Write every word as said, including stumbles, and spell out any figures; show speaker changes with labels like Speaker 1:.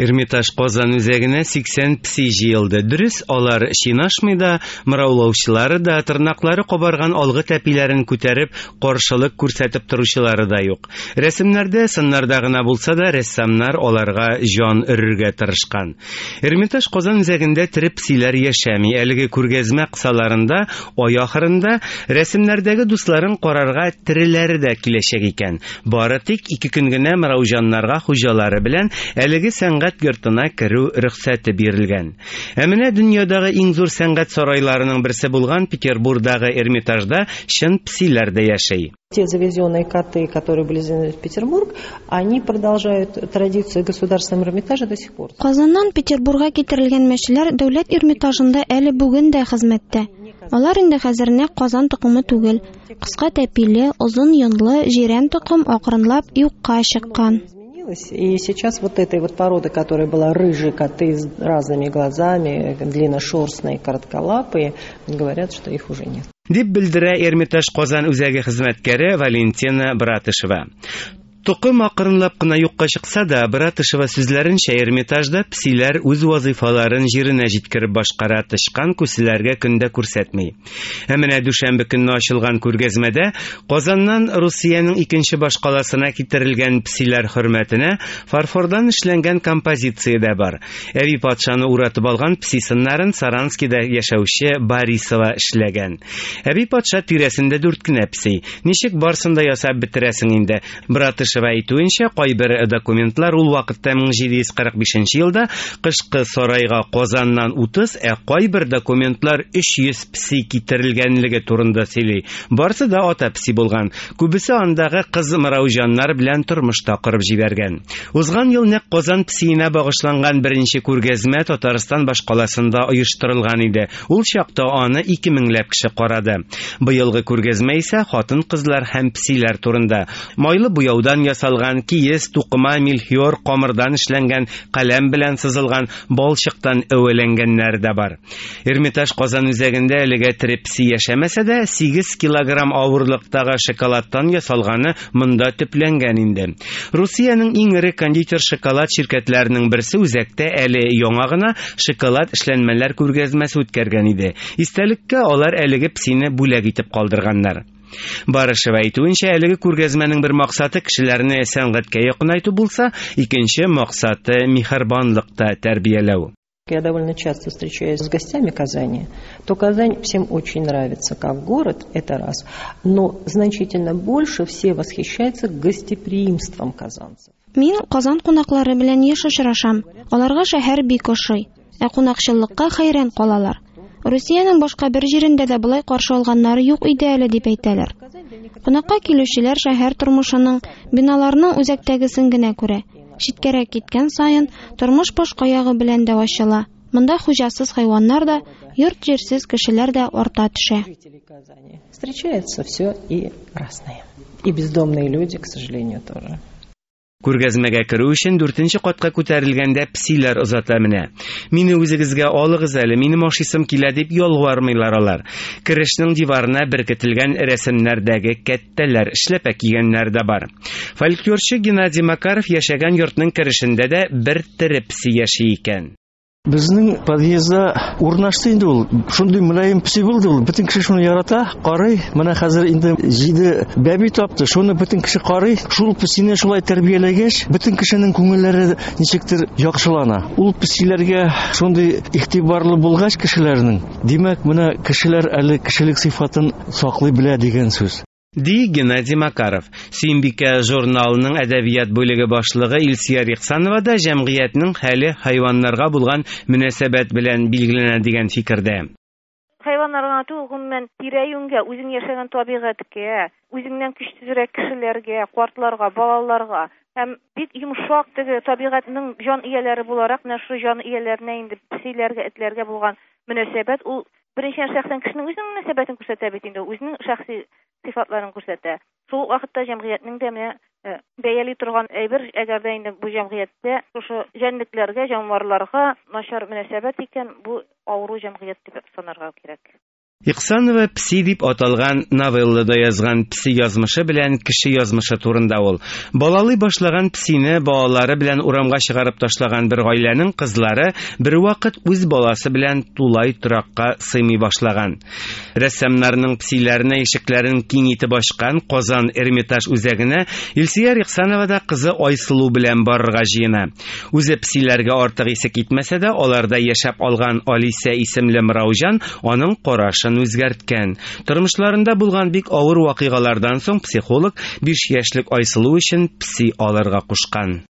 Speaker 1: Эрмитаж Казан үзәгенә сиксән песи җыелды. Дөрес, алар чинашмый да, мыраулаучылары да, тырнаклары кабарган алгы тәпиләрен күтәреп, каршылык күрсәтеп торучылары да юк. Рәсемнәрдә, сыннарда гына булса да, рәссамнар аларга җан өрергә тырышкан. Эрмитаж Казан үзәгендә тере песиләр яшәми. Әлеге күргәзмә кысаларында ай ахырында рәсемнәрдәге дусларын карарга тереләре дә киләчәк икән. Бары тик ике көн генә мырауҗаннарга хуҗалары белән әлеге сәнгать йортына керү рөхсәте бирелгән. Ә менә дөньядагы иң зур сәнгать сарайларының берсе булган Петербургдагы Эрмитажда чын песиләр дә яши.
Speaker 2: Те завезенные коты, которые были завезены в Петербург, они продолжают традицию Государственного Эрмитажа до сих пор.
Speaker 3: Казаннан Петербургка китерелгән мәчеләр дәүләт Эрмитажында әле бүген дә хезмәттә. Алар инде хәзер нәкъ Казан токымы түгел. Кыска тәпиле, озын йонлы, җирән токым акрынлап юкка чыккан.
Speaker 2: И сейчас вот этой вот породы, которая была рыжие коты с разными глазами, длинношерстные, коротколапые, говорят, что их уже нет.
Speaker 1: Дип белдерә Эрмитаж Казан үзәге хезмәткәре Валентина Братышева. Токым акрынлап кына юкка чыкса да, Братышева сүзләренчә, Эрмитажда песиләр үз вазыйфаларын җиренә җиткереп башкара, тычкан күселәргә көндә күрсәтми. Ә менә дүшәмбе көнне ачылган күргәзмәдә Казаннан Русиянең икенче башкаласына китерелгән песиләр хөрмәтенә фарфордан эшләнгән композиция дә бар. Әби патшаны уратып алган песи сыннарын Саранскида яшәүче Борисова эшләгән. Әби патша тирәсендә дүрт кенә песи. Ничек барсын да ясап бетерәсең инде? Братышева әйтүенчә, кайбер документлар ул вакытта мең җиде йөз кырык бишенче елда кышкы сарайга Казаннан утыз, ә кайбер документлар өч йөз песи китерелгәнлеге турында сөйли. Барсы да ата песи булган. Күбесе андагы кыз мырауҗаннар белән тормышта корып җибәргән. Узган ел нәкъ Казан песиенә багышланган беренче күргәзмә Татарстан башкаласында оештырылган иде. Ул чакта аны ике меңләп кеше карады. Быелгы күргәзмә исә хатын-кызлар һәм песиләр турында. Майлы буяудан ясалган, киез, тукыма, мельхиор, камырдан эшләнгән, каләм белән сызылган, балчыктан әвәләнгәннәр дә бар. Эрмитаж Казан үзәгендә әлегә тере песи яшәмәсә дә, сигез килограмм авырлыктагы шоколадтан ясалганы монда төпләнгән инде. Русиянең иң эре кондитер шоколад ширкәтләренең берсе үзәктә әле яңа гына шоколад эшләнмәләр күргәзмәсе үткәргән иде. Истәлеккә алар әлеге песине бүләк итеп калдырганнар. Барышева әйтүенчә, әлеге күргәзмәнең бер максаты кешеләрне сәнгатькә якынайту булса, икенче максаты миһербанлыкта тәрбияләү.
Speaker 2: Я довольно часто встречаюсь с гостями Казани, то Казань всем очень нравится как город, это раз, но значительно больше все восхищаются гостеприимством казанцев.
Speaker 3: Мин Казан кунаклары белән еш очрашам. Аларга шәһәр бик ошый, ә кунакчыллыкка хәйран калалар. Русиянең башка бер җирендә дә болай каршы алганнары юк иде әле дип әйтәләр. Кунакка килүчеләр шәһәр тормышының, биналарның үзәктәгесен генә күрә. Читкәрәк киткән саен тормыш башка ягы белән дә ачыла. Монда хуҗасыз хайваннар да, йорт-җирсез кешеләр дә арта төшә.
Speaker 2: Встречается все и разное. И бездомные люди, к сожалению, тоже.
Speaker 1: Күргәзмәгә керү өчен дүртенче катка күтәрелгәндә песиләр озата менә. Мине үзегезгә алыгыз әле, минем ашыйсым килә дип ялвармыйлар алар. Керешнең диварына беркетелгән рәсемнәрдәге кәттәләр, эшләпә кигәннәр дә бар. Фольклорчы Геннадий Макаров яшәгән йортның керешендә дә бер тере песи яши икән.
Speaker 4: Безнең подъездда урнашты инде ул. Шундый мөлаем песи булды ул. Бөтен кеше шуны ярата, карый. Менә хәзер инде җиде бәби тапты. Шуны бөтен кеше карый. Шул песине шулай тәрбияләгәч, бөтен кешенең күңелләре ничектер яхшылана. Ул песиләргә шундый игътибарлы булгач кешеләрнең, димәк, менә кешеләр әле кешелек сыйфатын саклый белә дигән сүз.
Speaker 1: Ди Геннадий Макаров. Сөембикә журналының әдәбият бүлеге башлыгы Илсөяр Ихсанова да җәмгыятьнең хәле хайваннарга булган мөнәсәбәт белән билгеләнә дигән фикердә.
Speaker 5: Хайваннарга түгел, гомумән, тирә-юньгә, үзең яшәгән табигатькә, үзеңнән көчсезрәк кешеләргә, картларга, балаларга һәм бик йомшак теге табигатьнең җан ияләре буларак, менә шул җан ияләренә инде песиләргә, этләргә булган мөнәсәбәт ул беренчедән шәхсән кешенең үзенең мөнәсәбәтен күрсәтә бит инде, үзенең шәхси сыйфатларын күрсәтә. Шул вакытта җәмгыятьнең дә менә бәяли торган әйбер, әгәр дә инде бу җәмгыятьтә шушы җәнлекләргә, җанварларга начар мөнәсәбәт икән, бу авыру җәмгыять дип санарга кирәк.
Speaker 1: Иксанова «Пси» дип аталган новеллада язган. Пси язмышы белән кеше язмышы турында ул. Балалый башлаган псине балалары белән урамга чыгарып ташлаган бер гаиләнең кызлары бервакыт үз баласы белән тулай торакка сыймый башлаган. Рәссамнарның псиләренә ишекләрен киң итеп ачкан Казан Эрмитаж үзәгенә Илсөяр Ихсанова да кызы Айсылу белән барырга җыена. Үзе псиләргә артык исе китмәсә дә, аларда яшәп алган Алисә исемле мырауҗан аның карашын үзгәрткән. Тормышларында булган бик авыр вакыйгалардан соң психолог биш яшьлек Айсылу өчен пси алырга кушкан.